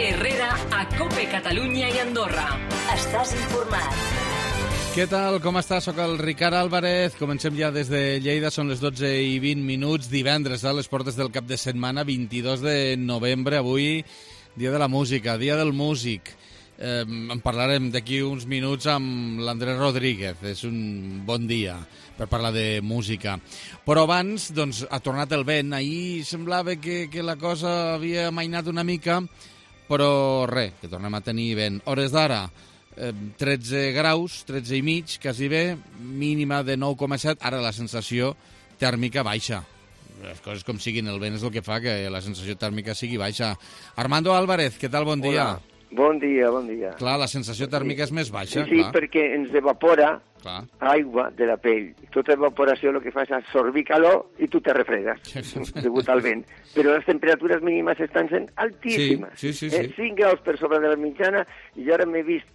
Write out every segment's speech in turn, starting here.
Herrera a COPE Catalunya i Andorra. Estàs informat. Què tal? Com estàs? Soc el Ricard Álvarez. Comencem ja des de Lleida. Són les 12:20, divendres, a les portes del cap de setmana, 22 de novembre. Avui, dia de la música, dia del músic. En parlarem d'aquí uns minuts amb l'Andrés Rodríguez. És un bon dia per parlar de música. Però abans, doncs, ha tornat el vent. Ahir semblava que la cosa havia amainat una mica, però res, que tornem a tenir vent. Hores d'ara, 13 graus, 13 i mig, quasi bé, mínima de 9,7. Ara la sensació tèrmica baixa. Les coses com siguin, el vent és el que fa que la sensació tèrmica sigui baixa. Armando Álvarez, què tal? Bon dia. Hola. Bon dia, bon dia. Clar, la sensació tèrmica és més baixa, sí, clar. perquè ens evapora aigua de la pell. Tota evaporació el que fa és absorbir calor i tu te refredes, degut al vent. Però les temperatures mínimes estan sent altíssimes. Sí. 5 graus per sobre de la mitjana, i jo ara m'he vist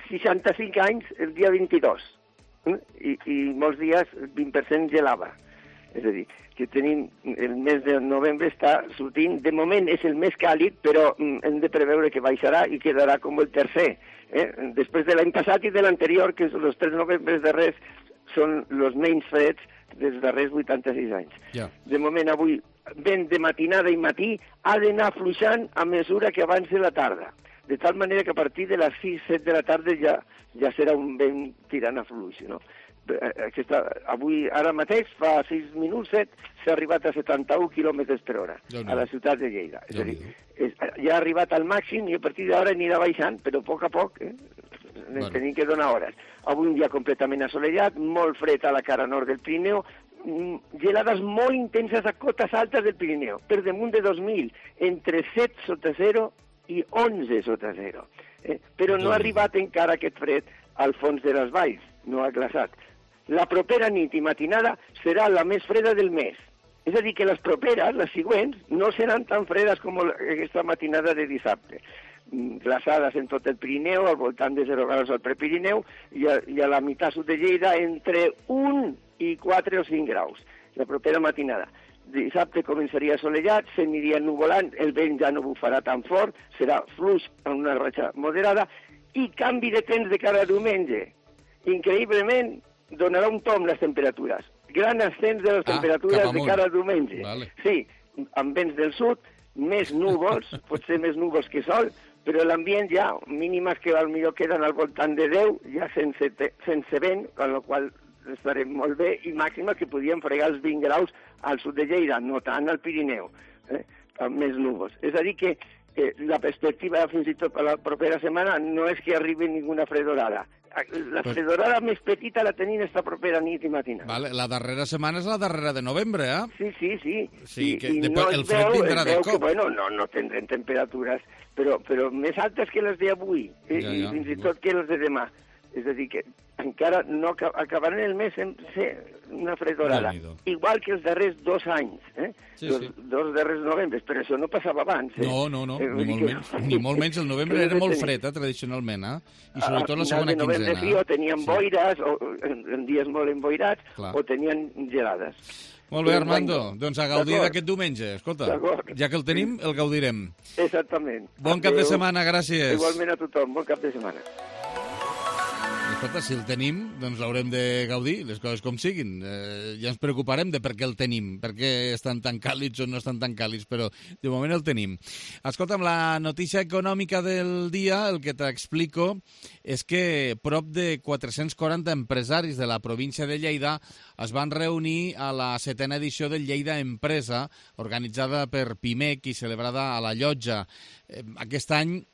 65 anys el dia 22. I molts dies 20% gelava. És a dir, que tenim el mes de novembre està sortint, de moment és el més càlid, però hem de preveure que baixarà i quedarà com el tercer. Després de l'any passat i de l'anterior, que els 3 novembres darrers són els menys freds dels darrers 86 anys. Ja. De moment avui, vent de matinada i matí, ha d'anar fluixant a mesura que avanci la tarda. De tal manera que a partir de les 6-7 de la tarda ja serà un vent tirant a fluix, no? Avui, ara mateix, fa 6 minuts, 7, s'ha arribat a 71 km per hora a la ciutat de Lleida. És a dir, ja ha arribat al màxim i a partir d'ara anirà baixant, però a poc tenim que donar hores. Avui un dia completament assolellat, molt fred a la cara nord del Pirineu, gelades molt intenses a cotes altes del Pirineu, per damunt de 2.000, entre 7 sota 0 i 11 sota 0. Però no ha arribat encara aquest fred al fons de les valls, no ha glaçat. La propera nit i matinada serà la més freda del mes. És a dir, que les properes, les següents, no seran tan fredes com aquesta matinada de dissabte. Glaçades en tot el Pirineu, al voltant de 0 graus al Prepirineu, i a la meitat sud de Lleida entre 1 i 4 o 5 graus. La propera matinada. Dissabte començaria assolellat, s'aniria nuvolant, el vent ja no bufarà tan fort, serà fluix en una ratxa moderada, i canvi de temps de cada diumenge. Increïblement, donarà un tomb les temperatures. Gran ascens de les temperatures de cada diumenge. Vale. Sí, amb vents del sud, més núvols, potser més núvols que sol, però l'ambient ja, mínimes que potser queden al voltant de 10, ja sense vent, amb la qual estarem molt bé, i màxima que podíem fregar els 20 graus al sud de Lleida, no tant al Pirineu, amb més núvols. És a dir que la perspectiva fins i tot per la propera setmana no és que arribi ninguna fredorada. La fredorada més petita la tenim esta propera nit i matina. Vale, la darrera setmana és la darrera de novembre, eh? Sí. El fred vindrà de cop. No tindrem temperatures, però més altes que les d'avui, i fins i tot que les de demà. És a dir, que encara no acabaran el mes sense una fredorada. Igual que els darrers 2 anys, dos darrers novembres, però això no passava abans. No, ni molt menys. El novembre era molt fred, tradicionalment, i sobretot la segona quinzena. A novembre sí, o tenien boires, o en dies molt emboirats, o tenien gelades. Molt bé, Armando. Doncs a gaudir d'aquest diumenge. Escolta, ja que el tenim, el gaudirem. Exactament. Bon cap de setmana, gràcies. Igualment a tothom, bon cap de setmana. Escolta, si el tenim, doncs l'haurem de gaudir, les coses com siguin. Ja ens preocuparem de per què el tenim, per què estan tan càlids o no estan tan càlids, però de moment el tenim. Escolta'm, la notícia econòmica del dia, el que t'explico, és que prop de 440 empresaris de la província de Lleida es van reunir a la 7a edició del Lleida Empresa, organitzada per PIMEC i celebrada a la Llotja. Aquest any,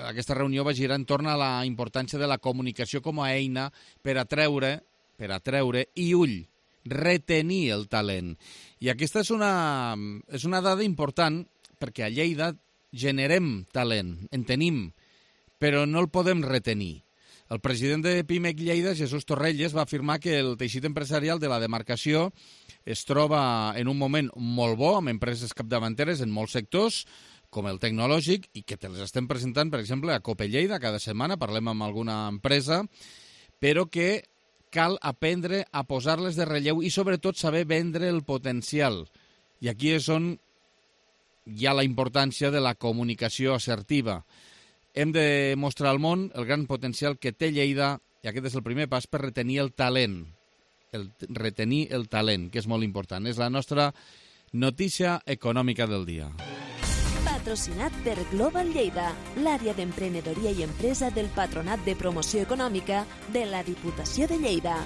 aquesta reunió va girar entorn a la importància de la comunicació com a eina per atreure i retenir el talent. I aquesta és una dada important perquè a Lleida generem talent, en tenim, però no el podem retenir. El president de PIMEC Lleida, Jesús Torrelles, va afirmar que el teixit empresarial de la demarcació es troba en un moment molt bo, amb empreses capdavanteres en molts sectors, com el tecnològic, i que te les estem presentant, per exemple, a COPE Lleida, cada setmana parlem amb alguna empresa, però que cal aprendre a posar-les de relleu i, sobretot, saber vendre el potencial. I aquí és on hi ha la importància de la comunicació assertiva. Hem de mostrar al món el gran potencial que té Lleida, i aquest és el primer pas per retenir el talent. Retenir el talent, que és molt important. És la nostra notícia econòmica del dia. Patrocinat per Global Lleida, l'àrea d'emprenedoria i empresa del Patronat de Promoció Econòmica de la Diputació de Lleida.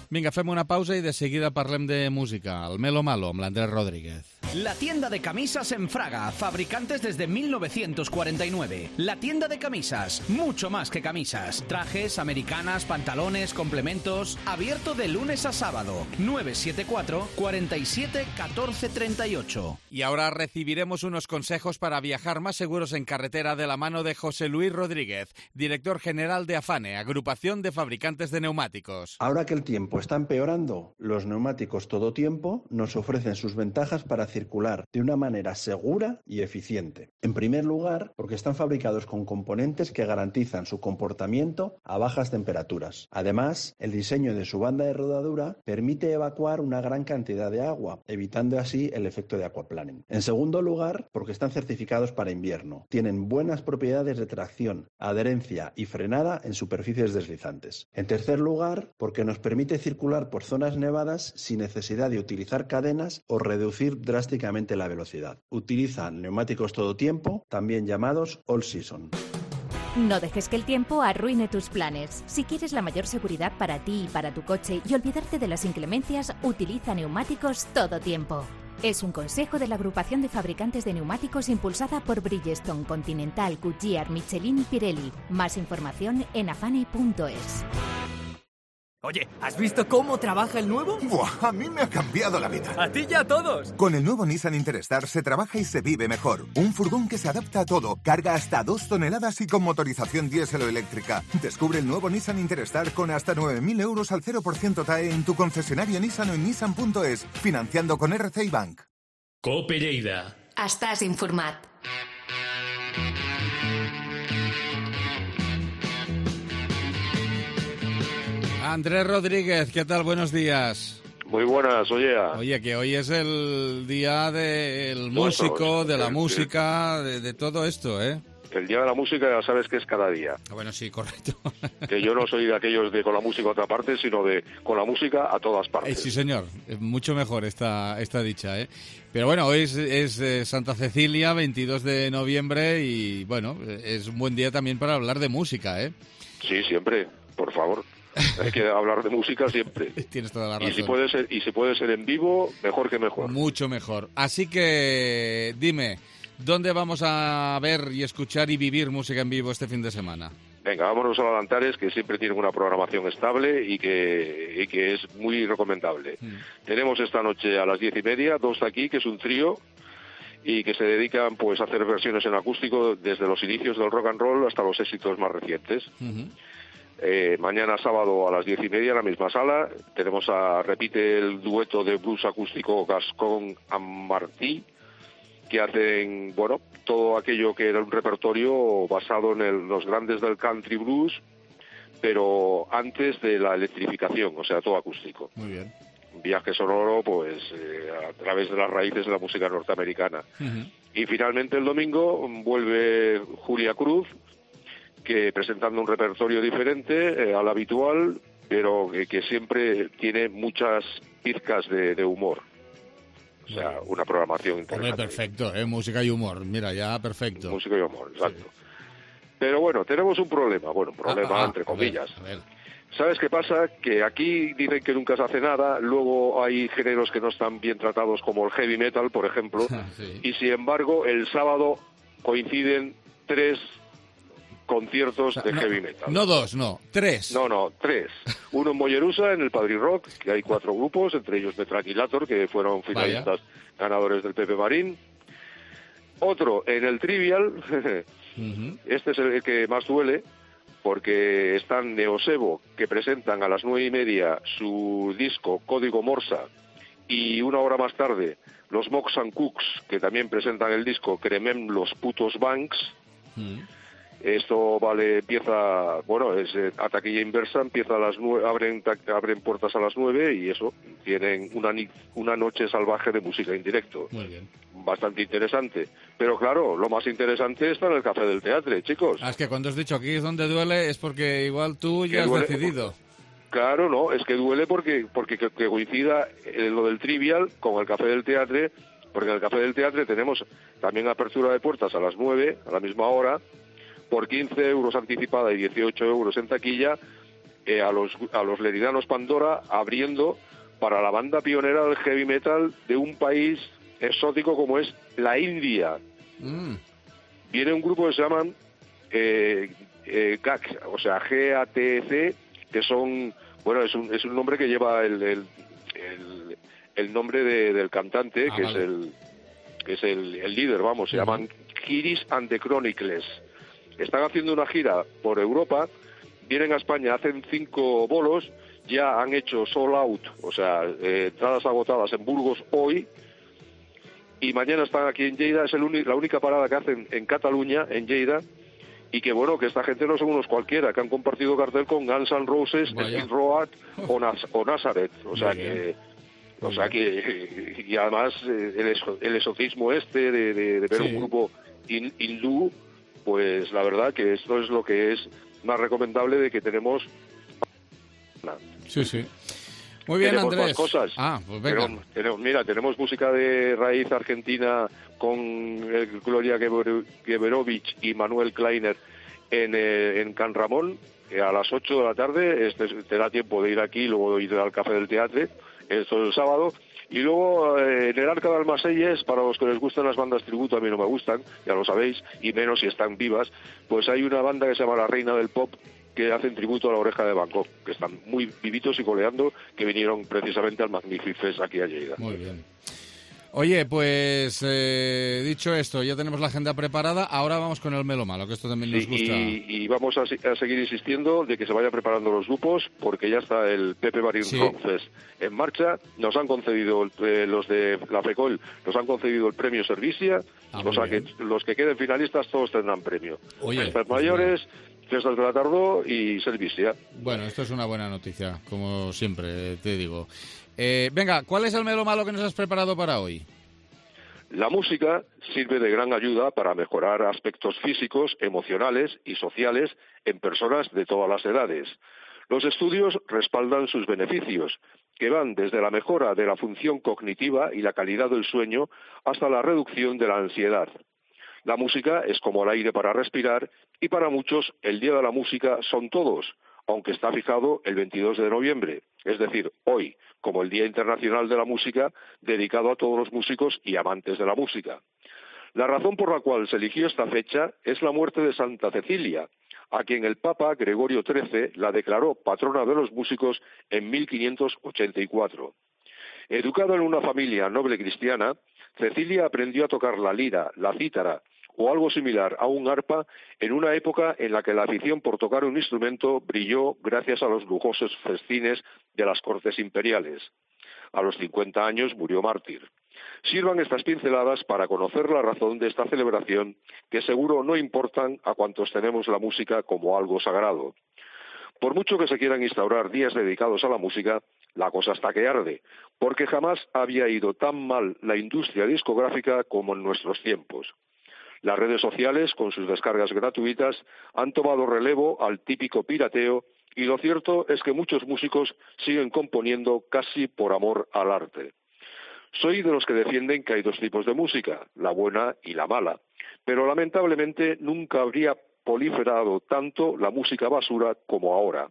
Vinga, fem una pausa i de seguida parlem de música. El Melo Malo, amb l'Andrés Rodríguez. La tienda de camisas en Fraga, fabricantes desde 1949. La tienda de camisas, mucho más que camisas. Trajes, americanas, pantalones, complementos. Abierto de lunes a sábado. 974 47 14 38. Y ahora recibiremos unos consejos para viajar más seguros en carretera de la mano de José Luis Rodríguez, director general de AFANE, Agrupación de Fabricantes de Neumáticos. Ahora que el tiempo está empeorando, los neumáticos todo tiempo nos ofrecen sus ventajas para circular de una manera segura y eficiente. En primer lugar, porque están fabricados con componentes que garantizan su comportamiento a bajas temperaturas. Además, el diseño de su banda de rodadura permite evacuar una gran cantidad de agua, evitando así el efecto de aquaplaning. En segundo lugar, porque están certificados para invierno. Tienen buenas propiedades de tracción, adherencia y frenada en superficies deslizantes. En tercer lugar, porque nos permite circular por zonas nevadas sin necesidad de utilizar cadenas o reducir drásticamente la velocidad. Utilizan neumáticos todo tiempo, también llamados all season. No dejes que el tiempo arruine tus planes. Si quieres la mayor seguridad para ti y para tu coche y olvidarte de las inclemencias, utiliza neumáticos todo tiempo. Es un consejo de la Agrupación de Fabricantes de Neumáticos impulsada por Bridgestone, Continental, Goodyear, Michelin y Pirelli. Más información en afane.es. Oye, ¿has visto cómo trabaja el nuevo? ¡Buah! A mí me ha cambiado la vida. ¡A ti y a todos! Con el nuevo Nissan Interstar se trabaja y se vive mejor. Un furgón que se adapta a todo, carga hasta 2 toneladas y con motorización diésel o eléctrica. Descubre el nuevo Nissan Interstar con hasta 9.000 euros al 0% TAE en tu concesionario Nissan o en nissan.es, financiando con RCI Bank. Cope Lleida. Estàs informat. Andrés Rodríguez, ¿qué tal? Buenos días. Muy buenas, Oye, que hoy es el día del músico, de la música, de todo esto, ¿eh? El día de la música ya sabes que es cada día. Bueno, sí, correcto. Que yo no soy de aquellos de con la música a otra parte, sino de con la música a todas partes. Sí, señor. Es mucho mejor esta dicha, ¿eh? Pero bueno, hoy es Santa Cecilia, 22 de noviembre, y bueno, es un buen día también para hablar de música, ¿eh? Sí, siempre, por favor. Hay que hablar de música siempre. Tienes toda la razón. Y si puede ser en vivo, mejor que mejor. Mucho mejor. Así que dime, ¿dónde vamos a ver y escuchar y vivir música en vivo este fin de semana? Venga, vámonos a la Antares, que siempre tienen una programación estable y que es muy recomendable. Tenemos esta noche a las 10:30, dos de aquí, que es un trío, y que se dedican pues a hacer versiones en acústico desde los inicios del rock and roll hasta los éxitos más recientes. Mañana sábado a las 10:30 en la misma sala repite el dueto de blues acústico Gascón and Martí, que hacen, bueno, todo aquello que era un repertorio basado en los grandes del country blues, pero antes de la electrificación, o sea, todo acústico. Muy bien. Un viaje sonoro, pues, a través de las raíces de la música norteamericana. Y finalmente el domingo vuelve Julia Cruz, que presentando un repertorio diferente al habitual, pero que siempre tiene muchas pizcas de humor. O sea, una programación interesante. Hombre, perfecto, música y humor. Mira, ya perfecto. Música y humor, exacto. Sí. Pero bueno, tenemos un problema. Bueno, un problema entre comillas. A ver. ¿Sabes qué pasa? Que aquí dicen que nunca se hace nada, luego hay géneros que no están bien tratados, como el heavy metal, por ejemplo, Sí. Y sin embargo, el sábado coinciden 3 conciertos de heavy metal. No 2, no, 3. No, 3. Uno en Mollerusa, en el Padrí Rock, que hay 4 grupos, entre ellos Metraquilator, que fueron finalistas ganadores del Pepe Marín. Otro en el Trivial, Este es el que más duele, porque están Neosebo, que presentan a las 9:30 su disco Código Morsa, y una hora más tarde los Mox and Cooks, que también presentan el disco Cremem los putos Banks. Esto empieza, es a taquilla inversa, empieza a las 9, abren puertas a las 9 y eso, tienen una noche salvaje de música en directo. Muy bien. Bastante interesante. Pero claro, lo más interesante está en el Café del Teatre, chicos. Es que cuando has dicho aquí es donde duele, es porque igual tú ya has decidido. Claro, no, es que duele porque que coincida lo del Trivial con el Café del Teatre, porque en el Café del Teatre tenemos también apertura de puertas a las 9, a la misma hora, por 15 euros anticipada y 18 euros en taquilla, a los leridanos Pandora abriendo para la banda pionera del heavy metal de un país exótico como es la India. Viene un grupo que se llaman GAC, o sea, GATC, que son, es un nombre que lleva el nombre del cantante, que es el líder, se llaman Kiris and the Chronicles. Están haciendo una gira por Europa, vienen a España, hacen 5 bolos, ya han hecho sold out, o sea, entradas agotadas en Burgos hoy, y mañana están aquí en Lleida, es la única parada que hacen en Cataluña, en Lleida, y que que esta gente no son unos cualquiera, que han compartido cartel con Guns N' Roses, Skid Row o Nazareth, y además el exotismo de ver un grupo hindú, pues la verdad que esto es lo que es más recomendable de que tenemos. Sí. Muy bien, tenemos Andrés. Más cosas. Pues venga. Tenemos música de raíz argentina con Gloria Geberovich y Manuel Kleiner en Can Ramón a las 8 de la tarde. Te da tiempo de ir aquí y luego ir al Café del Teatre. Esto es el sábado. Y luego en el Arca de Almaselles, para los que les gustan las bandas tributo, a mí no me gustan, ya lo sabéis, y menos si están vivas, pues hay una banda que se llama La Reina del Pop, que hacen tributo a La Oreja de Bangkok, que están muy vivitos y coleando, que vinieron precisamente al Magnific Fest aquí a Lleida. Muy bien. Oye, pues dicho esto, ya tenemos la agenda preparada, ahora vamos con el Melo Malo, que esto también nos gusta. Y vamos a seguir insistiendo de que se vayan preparando los grupos, porque ya está el Pepe Marín Rock Fest en marcha. Nos han concedido, los de la FECOL, nos han concedido el premio Servicia, o sea que los que queden finalistas todos tendrán premio. Fiestas mayores, Fiestas de la Tardó y Servicia. Bueno, esto es una buena noticia, como siempre te digo. Venga, ¿cuál es el Melo Malo que nos has preparado para hoy? La música sirve de gran ayuda para mejorar aspectos físicos, emocionales y sociales en personas de todas las edades. Los estudios respaldan sus beneficios, que van desde la mejora de la función cognitiva y la calidad del sueño hasta la reducción de la ansiedad. La música es como el aire para respirar y para muchos el Día de la Música son todos, aunque está fijado el 22 de noviembre, es decir, hoy, como el Día Internacional de la Música, dedicado a todos los músicos y amantes de la música. La razón por la cual se eligió esta fecha es la muerte de Santa Cecilia, a quien el Papa Gregorio XIII la declaró patrona de los músicos en 1584. Educada en una familia noble cristiana, Cecilia aprendió a tocar la lira, la cítara o algo similar a un arpa en una época en la que la afición por tocar un instrumento brilló gracias a los lujosos festines de las cortes imperiales. A los 50 años murió mártir. Sirvan estas pinceladas para conocer la razón de esta celebración, que seguro no importan a cuantos tenemos la música como algo sagrado. Por mucho que se quieran instaurar días dedicados a la música, la cosa está que arde, porque jamás había ido tan mal la industria discográfica como en nuestros tiempos. Las redes sociales, con sus descargas gratuitas, han tomado relevo al típico pirateo y lo cierto es que muchos músicos siguen componiendo casi por amor al arte. Soy de los que defienden que hay dos tipos de música, la buena y la mala, pero lamentablemente nunca habría proliferado tanto la música basura como ahora.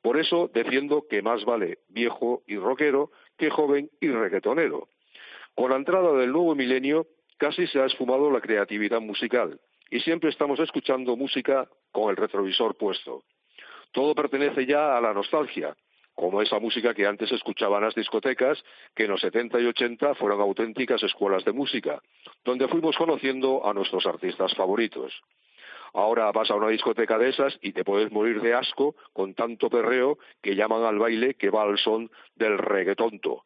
Por eso defiendo que más vale viejo y rockero que joven y reggaetonero. Con la entrada del nuevo milenio casi se ha esfumado la creatividad musical y siempre estamos escuchando música con el retrovisor puesto. Todo pertenece ya a la nostalgia, como esa música que antes escuchaban las discotecas, que en los 70 y 80 fueron auténticas escuelas de música, donde fuimos conociendo a nuestros artistas favoritos. Ahora vas a una discoteca de esas y te puedes morir de asco con tanto perreo que llaman al baile que va al son del reggaetonto.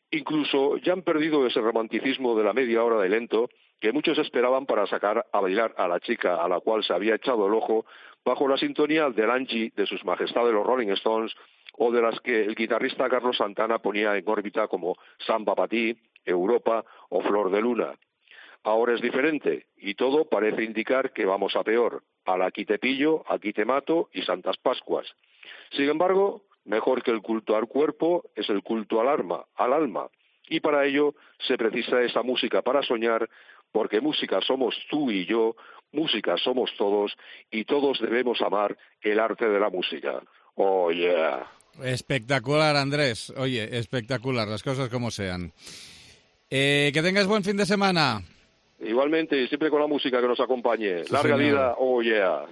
Incluso ya han perdido ese romanticismo de la media hora de lento que muchos esperaban para sacar a bailar a la chica a la cual se había echado el ojo bajo la sintonía del Angie de sus majestades los Rolling Stones o de las que el guitarrista Carlos Santana ponía en órbita como Samba pa' ti, Europa o Flor de Luna. Ahora es diferente y todo parece indicar que vamos a peor. Al aquí te pillo, aquí te mato y Santas Pascuas. Sin embargo, mejor que el culto al cuerpo es el culto al alma. Y para ello se precisa esa música para soñar, porque música somos tú y yo, música somos todos y todos debemos amar el arte de la música. Oh, yeah. Espectacular, Andrés. Oye, espectacular, las cosas como sean. Que tengas buen fin de semana. Igualmente, siempre con la música que nos acompañe. Sí, Larga señor. vida, oh yeah.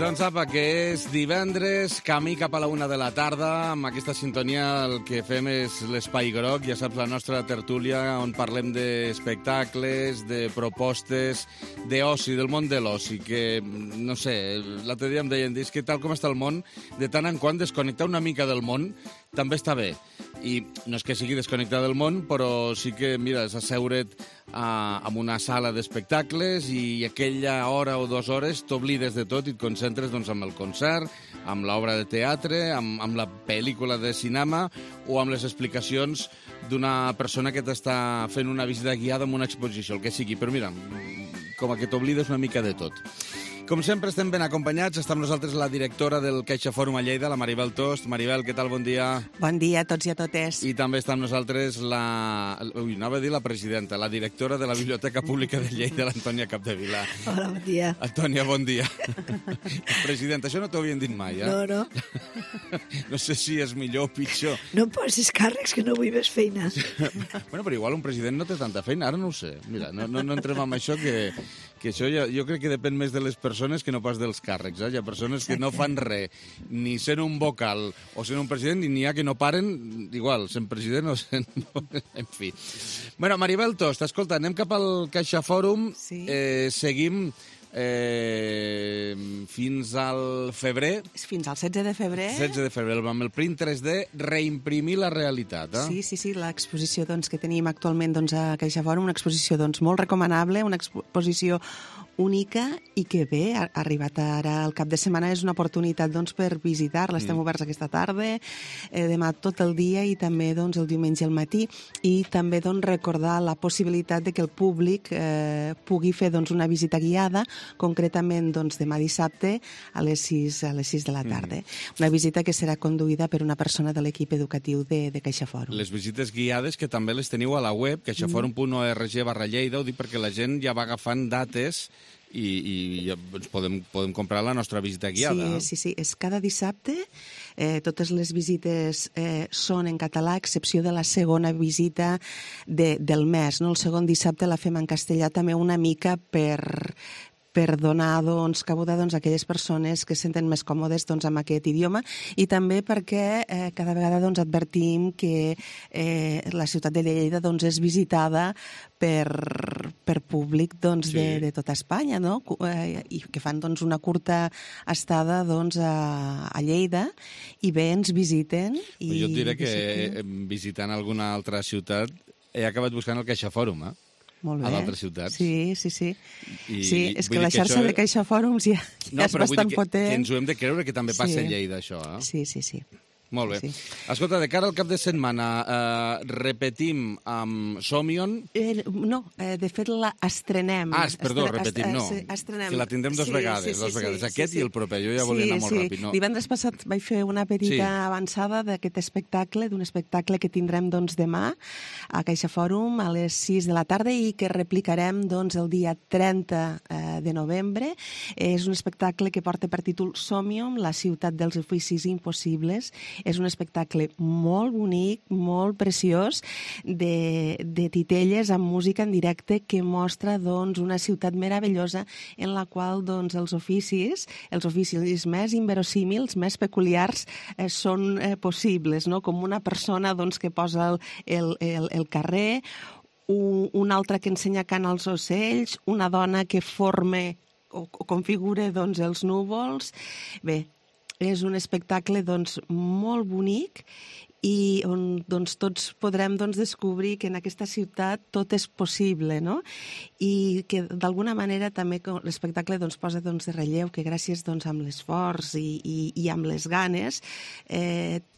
Doncs apa, que és divendres, camí cap a la 1 de la tarda. Amb aquesta sintonia el que fem és l'Espai Groc, ja saps, la nostra tertúlia on parlem d'espectacles, de propostes, d'oci, del món de l'oci, que, no sé, l'altre dia em deien, és que tal com està el món, de tant en quant desconnectar una mica del món també està bé. I no és que sigui desconnectar del món, però sí que, mira, és asseure't en una sala d'espectacles i aquella hora o 2 hores t'oblides de tot i et concentres doncs, amb el concert, amb l'obra de teatre, amb la pel·lícula de cinema o amb les explicacions d'una persona que t'està fent una visita guiada en una exposició, el que sigui. Però mira, com que t'oblides una mica de tot. Com sempre, estem ben acompanyats. Està amb nosaltres la directora del CaixaForum a Lleida, la Maribel Tost. Maribel, què tal? Bon dia. Bon dia a tots i a totes. I també està amb nosaltres anava a dir la presidenta, la directora de la Biblioteca Pública de Lleida, l'Antònia Capdevila. Hola, bon dia. Antònia, bon dia. Presidenta, això no t'ho havien dit mai, eh? No. No sé si és millor o pitjor. No em posis càrrecs, que no vull més feina. Bueno, però igual un president no té tanta feina, ara no ho sé. Mira, no entrem amb això, que això jo crec que depèn més de les persones que no pas dels càrrecs. Hi ha persones que no fan res, ni sent un vocal o sent un president, i n'hi ha que no paren, igual, sent president o sent... En fi. Bueno, Maribel Tost, escolta, anem cap al CaixaForum. Sí. Seguim fins al febrer. Fins al 16 de febrer. 16 de febrer, amb el print 3D, reimprimir la realitat. Sí, l'exposició que tenim actualment a CaixaForum, una exposició molt recomanable, una exposició única i que bé, ha arribat ara al cap de setmana, és una oportunitat per visitar-la. Estem oberts aquesta tarda, demà tot el dia i també el diumenge al matí, i també recordar la possibilitat de que el públic pugui fer una visita guiada, concretament demà dissabte a les 6 de la tarda. Una visita que serà conduïda per una persona de l'equip educatiu de CaixaForum. Les visites guiades que també les teniu a la web, caixaforum.org/Lleida, ho dic perquè la gent ja va agafant dates i ja podem comprar la nostra visita guiada. Sí, és cada dissabte. Totes les visites són en català, a excepció de la segona visita del mes. El segon dissabte la fem en castellà també una mica per donar cabuda a aquelles persones que se senten més còmodes amb aquest idioma, i també perquè cada vegada advertim que la ciutat de Lleida és visitada per públic de tota Espanya, no? I que fan una curta estada a Lleida i bé, ens visiten. Jo et diré que visitant alguna altra ciutat he acabat buscant el CaixaForum, molt bé. A d'altres ciutats. Sí. Sí, és que la xarxa de CaixaForums ja és bastant potent. Que ens ho hem de creure que també passa a Lleida, això. Sí. Molt bé. Escolta, de cara al cap de setmana, repetim amb Somion? No, de fet estrenem. Perdó, repetim, no. Estrenem. Que la tindrem dues vegades. Aquest i el proper. Jo ja volia anar molt ràpid. Divendres passat vaig fer una petita avançada d'aquest espectacle, d'un espectacle que tindrem demà a CaixaForum a les 6 de la tarda i que replicarem el dia 30 de novembre. És un espectacle que porta per títol Somion, la ciutat dels oficis impossibles. És un espectacle molt bonic, molt preciós, de titelles amb música en directe que mostra una ciutat meravellosa en la qual els oficis més inverosímils, més peculiars, són possibles, no? Com una persona que posa el carrer, una altra que ensenya cant als ocells, una dona que forme o configura doncs, els núvols. Bé, és un espectacle doncs, molt bonic i on doncs, tots podrem doncs, descobrir que en aquesta ciutat tot és possible, no? I que d'alguna manera també l'espectacle doncs, posa doncs, de relleu que gràcies doncs, amb l'esforç i amb les ganes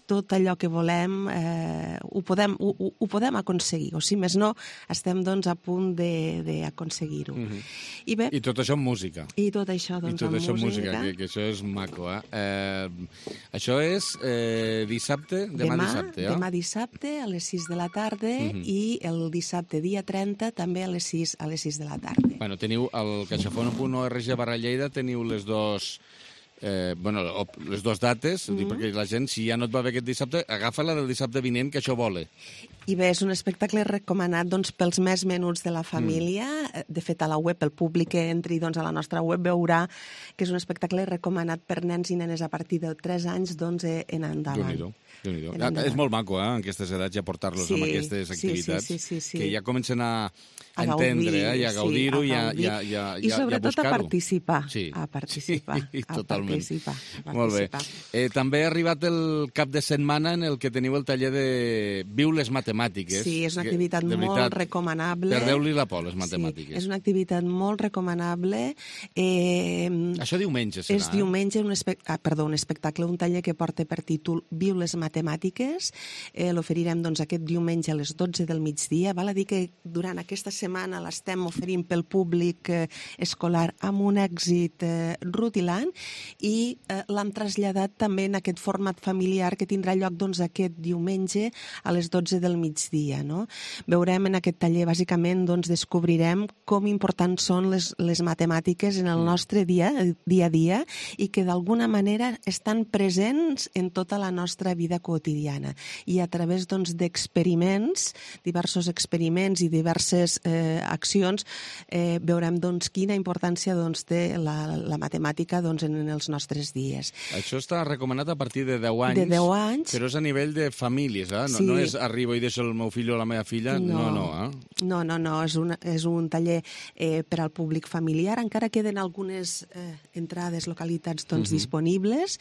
tot allò que volem ho podem aconseguir, o si més no, estem doncs, a punt d'aconseguir-ho. I tot això amb música. I tot això doncs, amb música. Que això és maco. Això és dissabte, demà dissabte a les 6 de la tarda i el dissabte dia 30 també a les 6 de la tarda. Bueno, teniu al caixaforum.org/Lleida teniu les dues dates, perquè la gent, si ja no et va bé aquest dissabte, agafa la del dissabte vinent, que això vola. I bé, és un espectacle recomanat doncs, pels més menuts de la família. De fet, a la web, el públic que entri doncs, a la nostra web veurà que és un espectacle recomanat per nens i nenes a partir de 3 anys doncs, en endavant. Déu-n'hi-do. És molt maco, en aquestes edats, ja portar-los amb aquestes activitats, que ja comencen a entendre i a gaudir-ho i a buscar-ho. I sobretot a participar. Totalment. Molt bé. També ha arribat el cap de setmana en el que teniu el taller de Viu les matemàtiques. Sí, és una activitat molt recomanable. Perdeu-li la por, les matemàtiques. És una activitat molt recomanable. Això diumenge serà. És diumenge, un espectacle, un taller que porta per títol Viu les matemàtiques. L'oferirem doncs, aquest diumenge a les 12 del migdia. Val a dir que durant aquesta setmana l'estem oferint pel públic escolar amb un èxit rutilant i l'hem traslladat també en aquest format familiar que tindrà lloc doncs, aquest diumenge a les 12 del migdia. No? Veurem en aquest taller, bàsicament, doncs, descobrirem com importants són les matemàtiques en el nostre dia a dia i que d'alguna manera estan presents en tota la nostra vida quotidiana. I a través doncs, d'experiments, diversos experiments i diverses accions, veurem doncs, quina importància doncs, té la matemàtica doncs, en els nostres dies. Això està recomanat a partir de 10 anys. De 10 anys. Però és a nivell de famílies, no és arribo i deixo el meu fill o la meva filla, no. És un taller per al públic familiar. Encara queden algunes entrades, localitats doncs, disponibles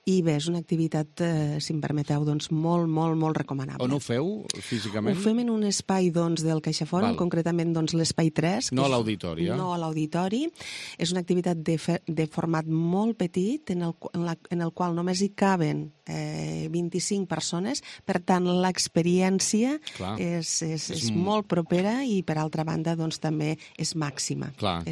i bé, és una activitat, si em permeteu, doncs, molt, molt, molt recomanable. On ho feu físicament? Ho fem en un espai doncs, del CaixaForum, concretament doncs, l'espai 3. No a l'auditori, No a l'auditori. És una activitat de format molt petit, en el qual només hi caben 25 persones, per tant l'experiència és molt propera i per altra banda doncs, també és màxima. Clar.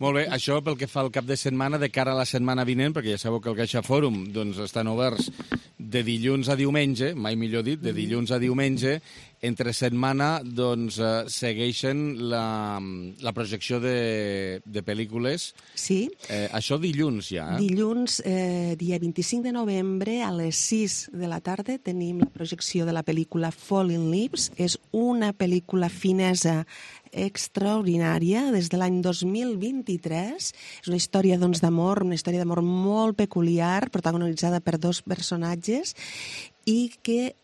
Molt bé, això pel que fa al cap de setmana, de cara a la setmana vinent, perquè ja sabeu que el CaixaForum doncs, estan oberts de dilluns a diumenge, mai millor dit, de dilluns a diumenge. Entre setmana doncs, segueixen la projecció de pel·lícules. Sí. Això dilluns ja. Dilluns, dia 25 de novembre, a les 6 de la tarda, tenim la projecció de la pel·lícula Falling Leaves. És una pel·lícula finesa extraordinària des de l'any 2023. És una història doncs, d'amor, una història d'amor molt peculiar, protagonitzada per 2 personatges i que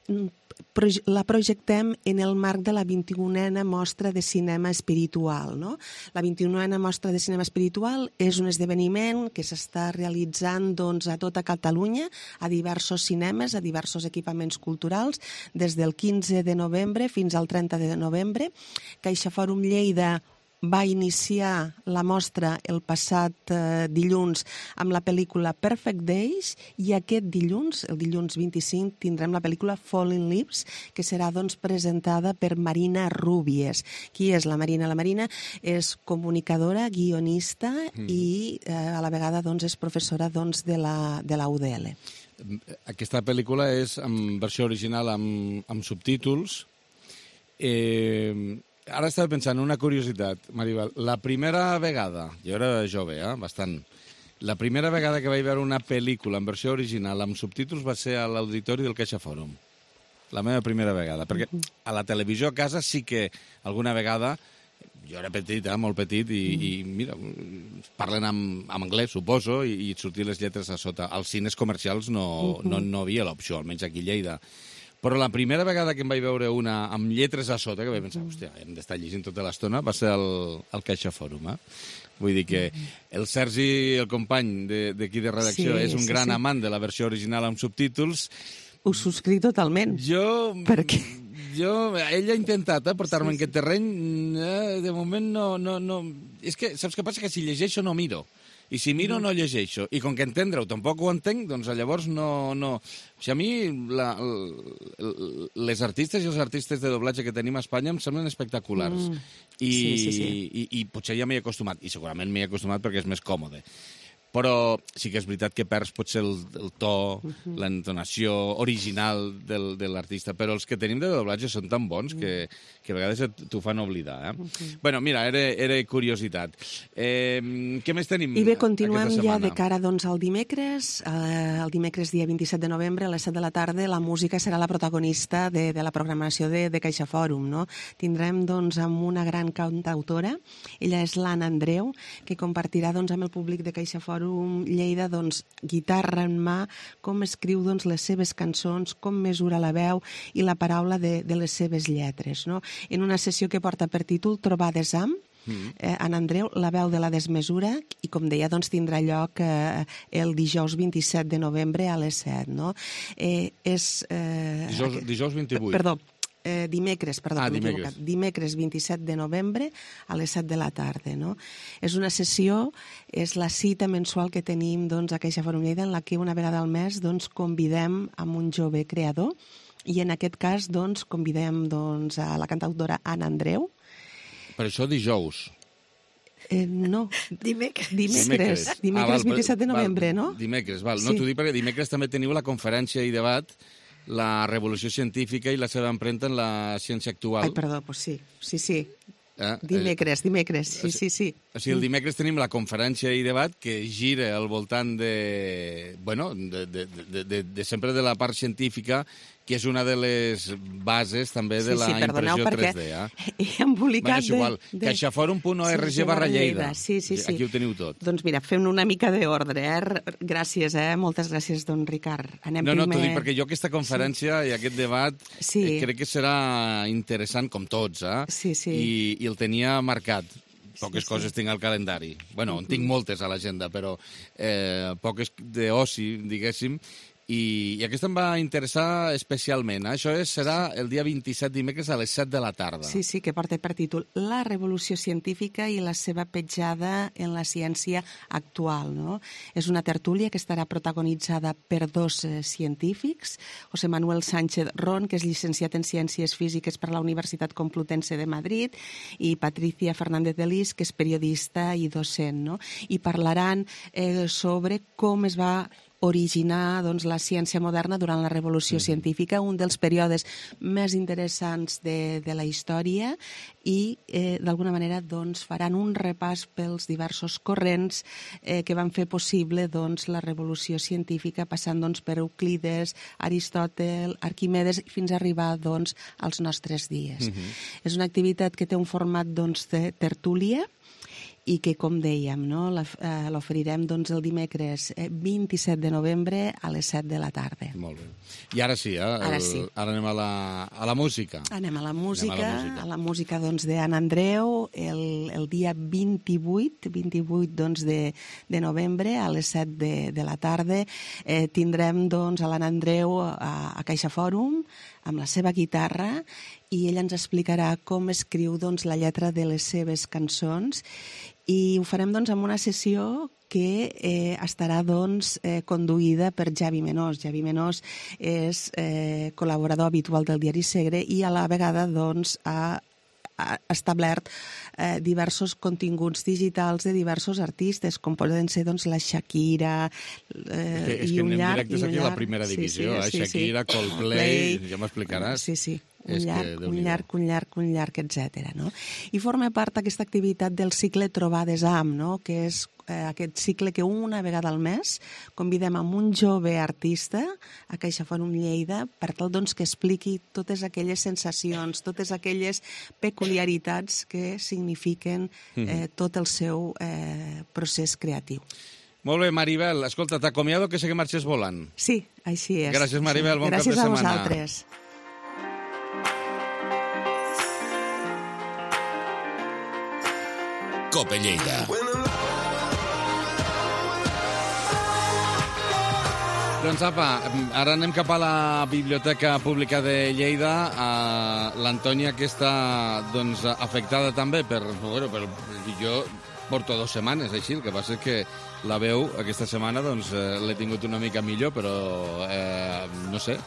la projectem en el marc de la 21a Mostra de Cinema Espiritual. No? La 21a Mostra de Cinema Espiritual és un esdeveniment que s'està realitzant doncs, a tota Catalunya, a diversos cinemes, a diversos equipaments culturals, des del 15 de novembre fins al 30 de novembre. CaixaForum Lleida va iniciar la mostra el passat dilluns amb la pel·lícula Perfect Days i aquest dilluns, el dilluns 25, tindrem la pel·lícula Falling Leaves, que serà doncs, presentada per Marina Rubies. Qui és la Marina? La Marina és comunicadora, guionista i a la vegada doncs, és professora doncs, de la UDL. Aquesta pel·lícula és en versió original amb subtítols. Ara estava pensant una curiositat, Maribel. La primera vegada, jo era jove, bastant, la primera vegada que vaig veure una pel·lícula en versió original amb subtítols va ser a l'auditori del CaixaForum. La meva primera vegada, perquè a la televisió a casa sí que alguna vegada, jo era petit, molt petit, i mira, parlen en anglès, suposo, i sortir les lletres a sota. Als cines comercials no hi havia l'opció, almenys aquí a Lleida. Però la primera vegada que em vaig veure una amb lletres a sota, que vaig pensar, hòstia, hem d'estar llegint tota l'estona, va ser el Caixa Fòrum, Vull dir que el Sergi, el company d'aquí de redacció, és un gran amant de la versió original amb subtítols. Ho subscric totalment. Ell ha intentat portar-me en aquest terreny, de moment no... És que, saps què passa? Que si llegeixo no miro. I si miro no llegeixo. I com que entendre-ho tampoc ho entenc, doncs llavors no... O sigui, a mi les artistes i els artistes de doblatge que tenim a Espanya em semblen espectaculars. I potser ja m'hi he acostumat. I segurament m'hi he acostumat perquè és més còmode. Però sí que és veritat que perds potser el to, l'entonació original de l'artista, però els que tenim de doblatge són tan bons que a vegades t'ho fan oblidar. Bueno, mira, era curiositat. Què més tenim? I bé, continuem ja de cara al dimecres. El dimecres, dia 27 de novembre, a les 7 de la tarda, la música serà la protagonista de la programació de Caixa Fòrum. Tindrem amb una gran cantautora, ella és l'Anna Andreu, que compartirà amb el públic de Caixa Fòrum Lleida, guitarra en mà, com escriu les seves cançons, com mesura la veu i la paraula de les seves lletres. En una sessió que porta per títol Trobades amb Anna Andreu, la veu de la desmesura, i com deia, tindrà lloc el dijous 27 de novembre a les 7. Dijous 28. Perdó. Dimecres 27 de novembre a les 7 de la tarda. És una sessió, és la cita mensual que tenim a Caixa Fòrum Lleida, en la que una vegada al mes convidem amb un jove creador, i en aquest cas convidem a la cantautora Anna Andreu. Per això dijous. No, dimecres 27 de novembre, no? Dimecres, val. No, t'ho dic perquè dimecres també teniu la conferència i debat la revolució científica i la seva empremta en la ciència actual. Ai, perdó, doncs sí. Dimecres, sí. O sigui, el dimecres tenim la conferència i debat que gira al voltant de sempre de la part científica, que és una de les bases també de la impressió 3D. He embolicat caixaforum.org/Lleida. Sí. Aquí ho teniu tot. Doncs mira, fem una mica d'ordre. Gràcies, moltes gràcies, don Ricard. No, t'ho dic perquè jo aquesta conferència i aquest debat crec que serà interessant, com tots, i el tenia marcat. Poques coses tinc al calendari. Bueno, en tinc moltes a l'agenda, però poques d'oci, diguéssim. I aquesta em va interessar especialment. Això serà el dia 27 dimecres a les 7 de la tarda. Sí, que porta per títol La revolució científica i la seva petjada en la ciència actual. És una tertúlia que estarà protagonitzada per dos científics, José Manuel Sánchez Ron, que és llicenciat en Ciències Físiques per la Universitat Complutense de Madrid, i Patricia Fernández de Lis, que és periodista i docent. I parlaran sobre com es va originar la ciència moderna durant la revolució científica, un dels períodes més interessants de la història, i d'alguna manera faran un repàs pels diversos corrents que van fer possible la revolució científica, passant per Euclides, Aristòtel, Arquimedes, fins a arribar als nostres dies. És una activitat que té un format de tertúlia, i que, com dèiem, l'oferirem el dimecres 27 de novembre a les 7 de la tarda. Molt bé. I ara sí, ara anem a la música. Anem a la música d'Anna Andreu, el dia 28 de novembre a les 7 de la tarda. Tindrem a l'Anna Andreu a Caixa Fòrum amb la seva guitarra, i ella ens explicarà com escriu la lletra de les seves cançons, i ho farem amb una sessió que estarà conduïda per Javi Menós. Javi Menós és col·laborador habitual del diari Segre i a la vegada ha establert diversos continguts digitals de diversos artistes, com poden ser la Shakira i un llarg... És que anem directes aquí a la primera divisió, Shakira, Coldplay, ja m'explicaràs. Sí. Un llarg, etc. I forma part d'aquesta activitat del cicle Trobades amb, que és aquest cicle que una vegada al mes convidem amb un jove artista a Caixa Fòrum Lleida per tal que expliqui totes aquelles sensacions, totes aquelles peculiaritats que signifiquen tot el seu procés creatiu. Molt bé, Maribel. Escolta, t'acomiado que sé que marxes volant. Sí, així és. Gràcies, Maribel. Bon cap de setmana. Gràcies a vosaltres. COPE Lleida. Doncs apa, ara anem cap a la Biblioteca Pública de Lleida. L'Antònia, que està doncs, afectada també per... Jo porto 2 setmanes així, el que passa és que la veu aquesta setmana doncs, l'he tingut una mica millor, però no sé,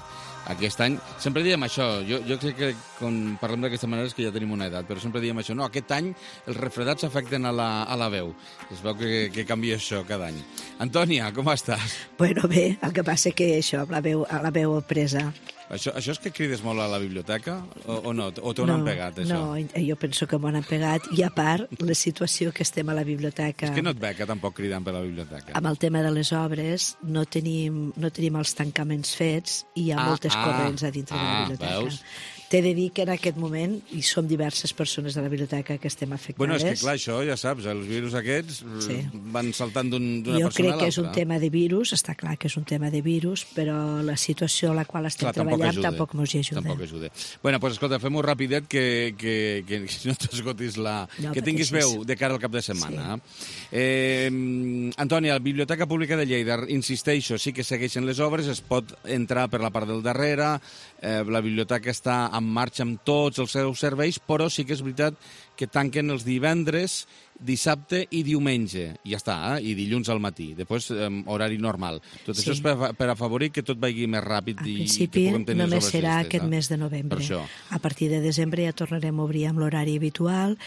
aquest any... Sempre diem això, jo crec que quan parlem d'aquesta manera és que ja tenim una edat, però sempre diem això, no, aquest any els refredats afecten a la veu. Es veu que canvia això cada any. Antònia, com estàs? Bueno, bé, el que passa que això, la veu presa. Això és que crides molt a la biblioteca o no? O t'ho han pegat, això? No, jo penso que m'ho han pegat. I a part, la situació que estem a la biblioteca... És que no et veig tampoc cridant per la biblioteca. Amb el tema de les obres, no tenim els tancaments fets i hi ha moltes corrents a dintre de la biblioteca. Veus? T'he de dir que en aquest moment hi som diverses persones de la biblioteca que estem afectades. Bueno, és que clar, això ja saps, els virus aquests van saltant d'una persona a l'altra. Jo crec que és un tema de virus, està clar que és un tema de virus, però la situació a la qual estem treballant tampoc mos hi ajuda. Tampoc ajuda. Bueno, doncs escolta, fem-ho rapidet que no t'esgotis que tinguis veu de cara al cap de setmana. Sí. Antònia, la Biblioteca Pública de Lleida, insisteixo, sí que segueixen les obres, es pot entrar per la part del darrere, la biblioteca està en marxa amb tots els seus serveis, però sí que és veritat que tanquen els divendres, dissabte i diumenge. I ja està, i dilluns al matí. Després, horari normal. Tot això és per afavorir que tot vagi més ràpid i que puguem tenir les obres. Només serà aquest mes de novembre. A partir de desembre ja tornarem a obrir amb l'horari habitual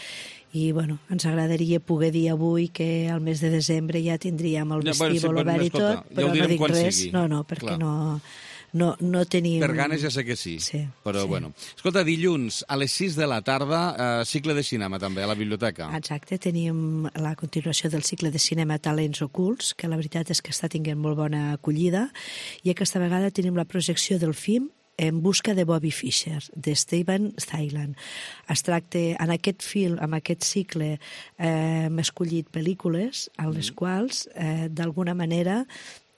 i, bueno, ens agradaria poder dir avui que al mes de desembre ja tindríem el vestíbul obert i tot, però no dic res. No, perquè no tenim... Per ganes ja sé que sí. Però, bueno. Escolta, dilluns a les 6 de la tarda, cicle de cinema també, a la biblioteca. Exacte, tenim la continuació del cicle de cinema Talents Ocults, que la veritat és que està tinguent molt bona acollida, i aquesta vegada tenim la projecció del film En busca de Bobby Fischer, de Steven Thailand. Es tracta, en aquest film, en aquest cicle, hem escollit pel·lícules en les quals, d'alguna manera,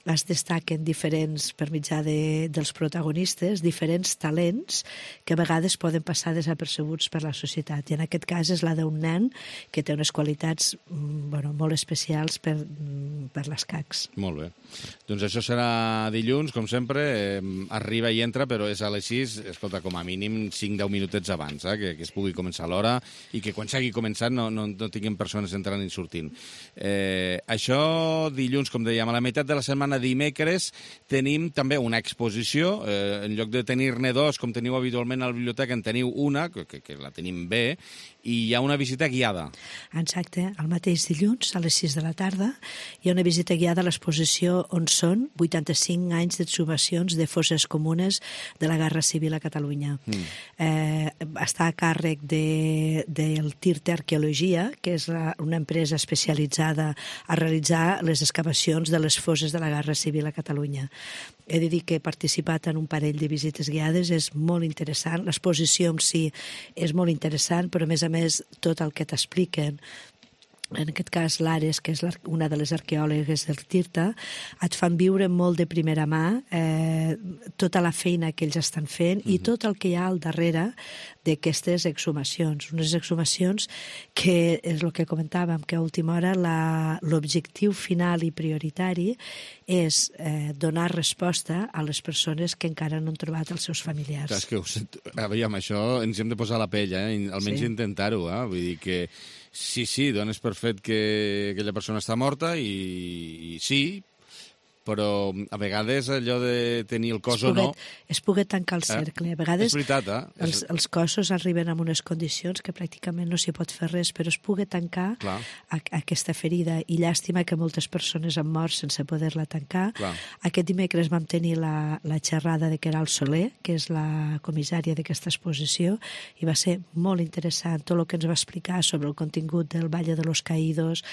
es destaquen diferents, per mitjà dels protagonistes, diferents talents que a vegades poden passar desapercebuts per la societat. I en aquest cas és la d'un nen que té unes qualitats molt especials per l'escacs. Molt bé. Doncs això serà dilluns, com sempre, arriba i entra, però és a les 6, escolta, com a mínim 5-10 minutets abans, que es pugui començar a l'hora i que quan s'hagi començat no tinguem persones entrant i sortint. Això dilluns, com dèiem, a la meitat de la setmana dimecres tenim també una exposició. En lloc de tenir-ne 2, com teniu habitualment a la biblioteca, en teniu una, que la tenim bé, i hi ha una visita guiada. Exacte. El mateix dilluns, a les 6 de la tarda, hi ha una visita guiada a l'exposició On són 85 anys d'exhumacions de fosses comunes de la Guerra Civil a Catalunya. Està a càrrec del TIRT Arqueologia, que és una empresa especialitzada a realitzar les excavacions de les fosses de la Guerra Civil a Catalunya. He de dir que he participat en un parell de visites guiades, és molt interessant, l'exposició en si és molt interessant, però a més tot el que t'expliquen, en aquest cas l'Ares, que és una de les arqueòlogues del TIRTA, et fan viure molt de primera mà tota la feina que ells estan fent i tot el que hi ha al darrere d'aquestes exhumacions. Unes exhumacions que és el que comentàvem, que a última hora l'objectiu final i prioritari és donar resposta a les persones que encara no han trobat els seus familiars. És que aviam, això ens hem de posar la pell, almenys intentar-ho. Vull dir que sí, dones per fet que aquella persona està morta i sí, però a vegades allò de tenir el cos o no... Es pugui tancar el cercle. A vegades és veritat, els cossos arriben en unes condicions que pràcticament no s'hi pot fer res, però es pugui tancar aquesta ferida. I llàstima que moltes persones han mort sense poder-la tancar. Aquest dimecres vam tenir la xerrada de Queralt Soler, que és la comissària d'aquesta exposició, i va ser molt interessant tot el que ens va explicar sobre el contingut del Valle de los Caídos,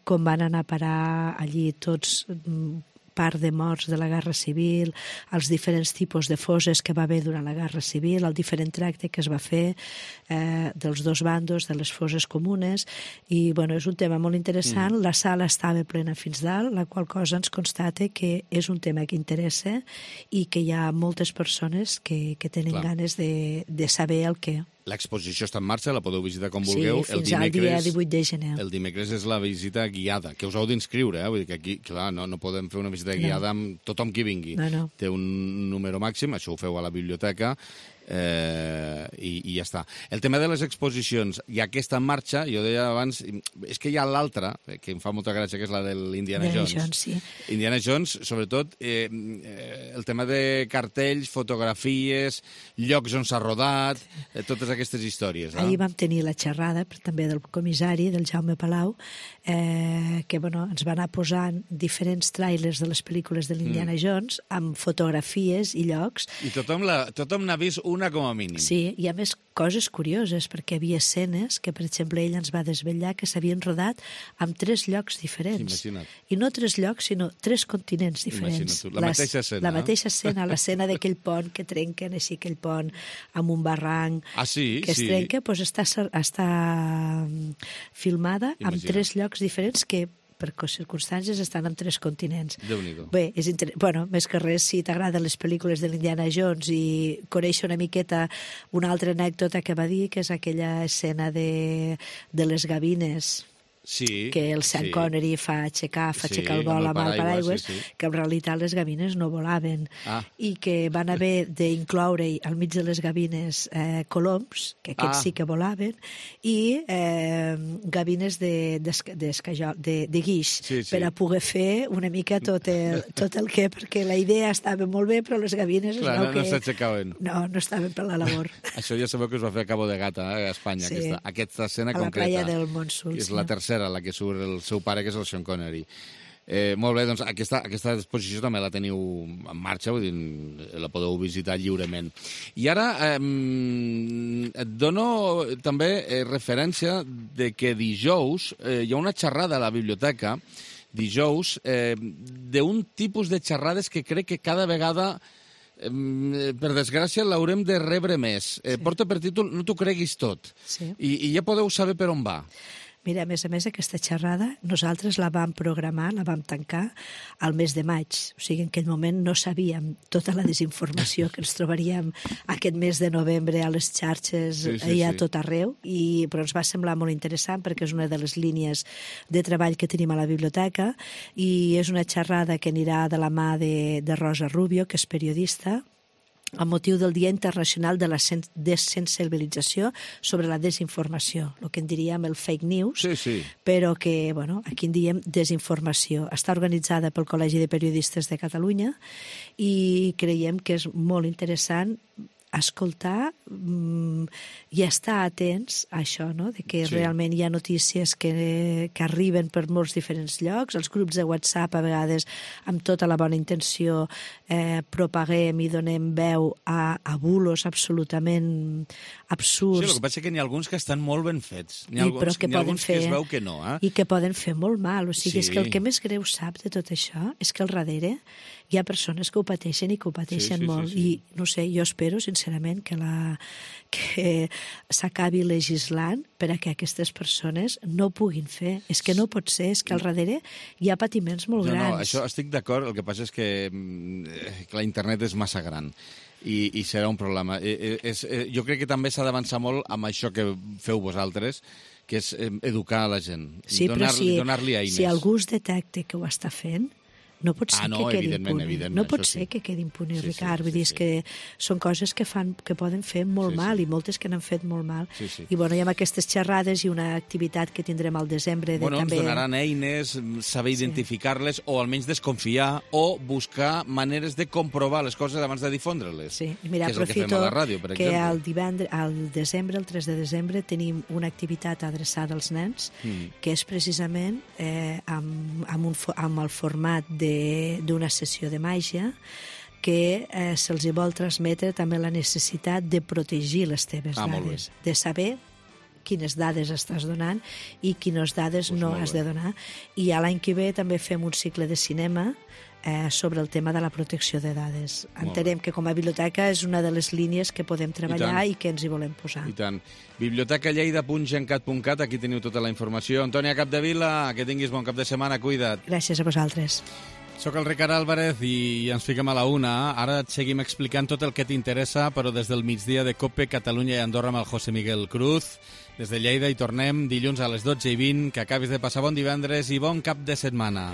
com van anar a parar allí tots part de morts de la Guerra Civil, els diferents tipus de fosses que va haver durant la Guerra Civil, el diferent tracte que es va fer dels dos bandos, de les fosses comunes, i és un tema molt interessant. La sala estava plena fins dalt, la qual cosa ens constata que és un tema que interessa i que hi ha moltes persones que tenen ganes de saber el què. l'exposició està en marxa, la podeu visitar com vulgueu. Sí, fins al dia 18 de gener. El dimecres és la visita guiada, que us heu d'inscriure, vull dir que aquí, clar, no podem fer una visita guiada amb tothom qui vingui. No. Té un número màxim, això ho feu a la biblioteca, i ja està. El tema de les exposicions, ja que està en marxa, jo deia abans, és que hi ha l'altra, que em fa molta gràcia, que és la de l'Indiana Jones. Sí. Indiana Jones, sobretot, el tema de cartells, fotografies, llocs on s'ha rodat, totes aquestes històries. Ahir vam tenir la xerrada també del comissari, del Jaume Palau, que ens va anar posant diferents tràilers de les pel·lícules de l'Indiana Jones amb fotografies i llocs. I tothom n'ha vist una com a mínim. Sí, i a més coses curioses, perquè hi havia escenes que, per exemple, ell ens va desvetllar que s'havien rodat en 3 llocs diferents. Imagina't. I no 3 llocs, sinó 3 continents diferents. Imagina't tu, la mateixa escena. La mateixa escena, l'escena d'aquell pont que trenquen així aquell pont amb un barranc que es trenca, doncs està filmada en 3 llocs diferents que per circumstàncies estan en 3 continents. Déu-n'hi-do. Bé, més que res, si t'agraden les pel·lícules de l'Indiana Jones i conèixer una miqueta una altra anècdota que va dir, que és aquella escena de les gavines, que el Sean Connery fa aixecar el vol amb el paraigües, que en realitat les gavines no volaven i que van haver d'incloure al mig de les gavines coloms, que aquests sí que volaven, i gavines de guix, per a poder fer una mica tot el que, perquè la idea estava molt bé, però les gavines no s'aixecaven. No estaven per la labor. Això ja sabeu que es va fer a Cabo de Gata, a Espanya, aquesta escena concreta. A la playa del Monsul. És la tercera, la que surt el seu pare, que és el Sean Connery. Molt bé, doncs aquesta exposició també la teniu en marxa, vull dir, la podeu visitar lliurement. I ara et dono també referència de que dijous hi ha una xerrada a la biblioteca, dijous, d'un tipus de xerrades que crec que cada vegada per desgràcia l'haurem de rebre més. Porta per títol No t'ho creguis tot. I ja podeu saber per on va. Mira, a més, aquesta xerrada nosaltres la vam programar, la vam tancar al mes de maig. O sigui, en aquell moment no sabíem tota la desinformació que ens trobaríem aquest mes de novembre a les xarxes i a tot arreu, però ens va semblar molt interessant perquè és una de les línies de treball que tenim a la biblioteca i és una xerrada que anirà de la mà de Rosa Rubio, que és periodista, amb motiu del Dia Internacional de la Desensibilització sobre la desinformació, el que en diríem el fake news, però que, aquí en diem desinformació. Està organitzada pel Col·legi de Periodistes de Catalunya i creiem que és molt interessant escoltar i estar atents a això, de que realment hi ha notícies que arriben per molts diferents llocs. Els grups de WhatsApp, a vegades, amb tota la bona intenció, propaguem i donem veu a bulos absolutament absurds. Sí, el que passa és que n'hi ha alguns que estan molt ben fets. N'hi ha alguns que es veu que no. I que poden fer molt mal. O sigui, és que el que més greu sap de tot això és que al darrere hi ha persones que ho pateixen i que ho pateixen molt. I, no sé, jo espero, sincerament, que s'acabi legislant per a que aquestes persones no puguin fer. És que no pot ser, és que al darrere hi ha patiments molt grans. No, això estic d'acord, el que passa és que la internet és massa gran i serà un problema. Jo crec que també s'ha d'avançar molt amb això que feu vosaltres, que és educar a la gent, donar-li eines. Si algú es detecta que ho està fent, no pot ser que quedi impune. No pot ser que quedi impune, Ricard. Vull dir, és que són coses que poden fer molt mal i moltes que n'han fet molt mal. I hi ha aquestes xerrades i una activitat que tindrem al desembre. Ens donaran eines, saber identificar-les o almenys desconfiar o buscar maneres de comprovar les coses abans de difondre-les. Sí, mira, aprofito que al desembre, el 3 de desembre, tenim una activitat adreçada als nens que és precisament amb el format d'una sessió de màgia que se'ls vol transmetre també la necessitat de protegir les teves dades, de saber quines dades estàs donant i quines dades no has de donar. I l'any que ve també fem un cicle de cinema sobre el tema de la protecció de dades. Entenem que com a biblioteca és una de les línies que podem treballar i que ens hi volem posar. I tant. bibliotecalleida.gencat.cat, aquí teniu tota la informació. Antònia Capdevila, que tinguis bon cap de setmana, cuida't. Gràcies a vosaltres. Soc el Ricard Álvarez i ens fiquem a la una. Ara et seguim explicant tot el que t'interessa, però des del migdia de COPE, Catalunya i Andorra amb el José Miguel Cruz. Des de Lleida hi tornem dilluns a les 12:20. Que acabis de passar bon divendres i bon cap de setmana.